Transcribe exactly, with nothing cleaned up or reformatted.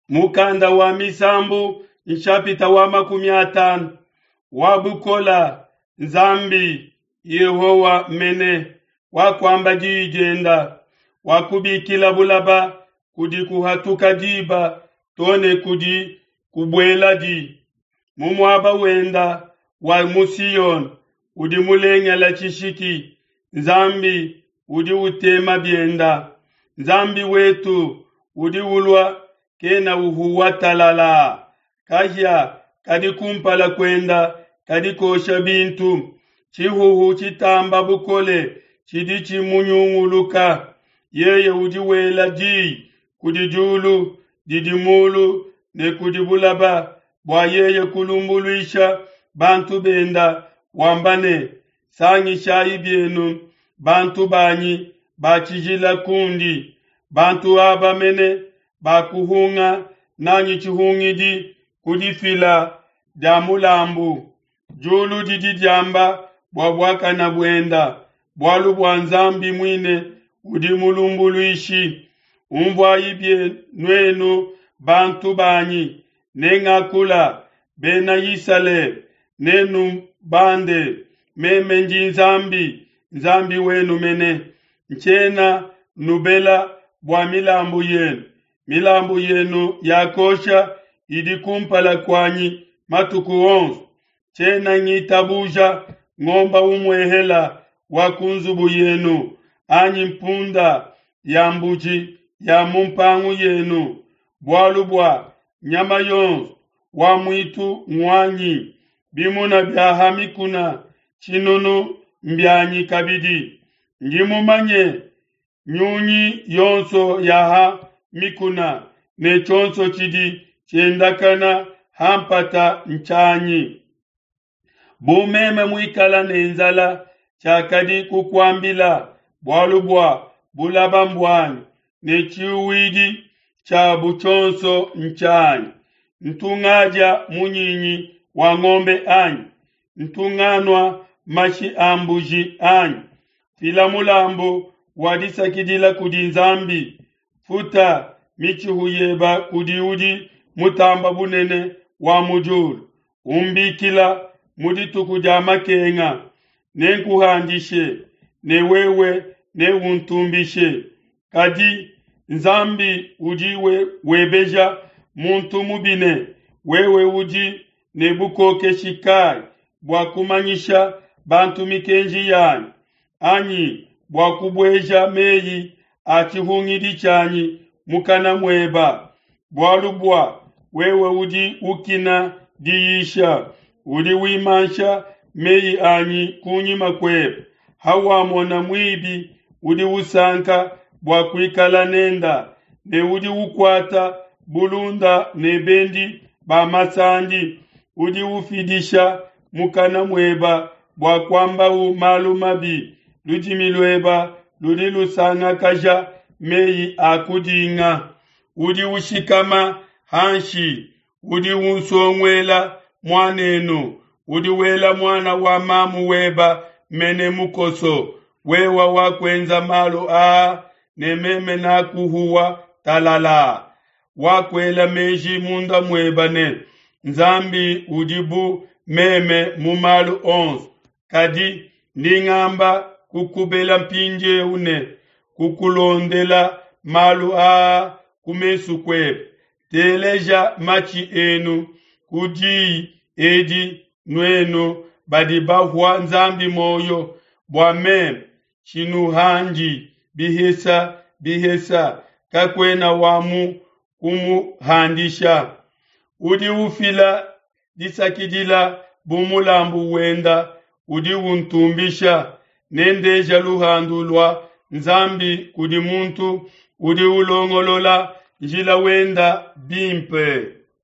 Mukanda wa Misambu nshapita wa makumi atanu wa bukola Nzambi Yehowa mene wakuamba diyi dienda wakubikila bulaba kudi kuhatuka diba to ne kudi kubueladi mu muaba wenda wa mu Siyone udi mulengela tshishiki Nzambi udi utema bienda Nzambi wetu udi ulua kena uhuwa talala kahia kadi kumpala kuenda kadi kosha bintu tshihuhu tshitamba bukole tshidi tshimunyunguluka yeye udi wela diyi kudi diulu didi mulu ne kudi bulaba bua yeye kulumbuluisha bantu benda wamba ne sangishayi bienu bantu banyi ba tshijila kundi bantu aba mene bakuhunga nanyi tshihungidi kudifila dia mulambu diulu didi diamba bua buakana buenda bualu bua Nzambi muine udi mulumbuluishi umvuayi bie nuenu bantu banyi nengakula bena Isalele nenu bande meme ndi Nzambi Nzambi wenu mene ntshiena nubela bua milambu yenu milambu yenu ya kosha idi kumpala kuanyi matuku onso tshiena ngitabuja ngomba umwehela wa ku nzubu yenu anyi mpunda ya mbuji ya mu mpangu yenu bualu bua nyama yonso wa mwitu ngwanyi bimuna bya ha mikuna tshinunu mbyanyi kabidi ndi mumanye nyunyi yonso ya ha mikuna ne tshonso tshidi tshiendakana ha mpata ntshanyi bu meme muikala ne nzala tshiakadi kukuambila bualu bua bulaba mbuanyi ne tshiwidi tshiabu tshionso ntshanyi ntungadia munyinyi wa ngombe anyi ntunganua mashi a mbuji anyi fila mulambu wa disakidila kudi Nzambi futa mitshihu yeba kudi udi mutamba bunene wa mu diulu umbikila mu dituku dia makenga nenkuhandishe ne wewe neuntumbishe kadi Nzambi udi we, webeja muntu mubine wewe udi ne bukokeshi kai bua kumanyisha bantu mikenji yanyi anyi bua kubueja meyi a tshihungidi tshianyi mukana mueba bualu bua wewe udi ukina diyisha udi wimansha meyi anyi kunyima kuebe hawamona muibi udi usanka bua kuikala nenda ne udi ukuata bulunda ne bendi ba masandi udi ufidisha mukana mueba bua kuambawu malu mabi ludimi lueba ludi lusangakaja meyi a kudinga udi ushikama hanshi udi unsonguela muanenu udi wela muana wa mamu weba mene mukoso wewa wakuenza malu aa ne meme nakuhuwa talala wakuela meji munda mueba ne Nzambi udi bu meme mu malu onso kadi ndi ngamba kukubela mpindieu ne kukulondela malu aa ku mesu kuebe teleja matshi enu ku diyi edi nuenu badi bahua Nzambi moyo bua meme tshinuhandi bihesa bihesa kakuena wa mu kumuhandisha udi ufila disakidila bu mulambu wenda udi untumbisha nendeja luhandu lua Nzambi kudi muntu udi ulongolola njila wenda bimpe.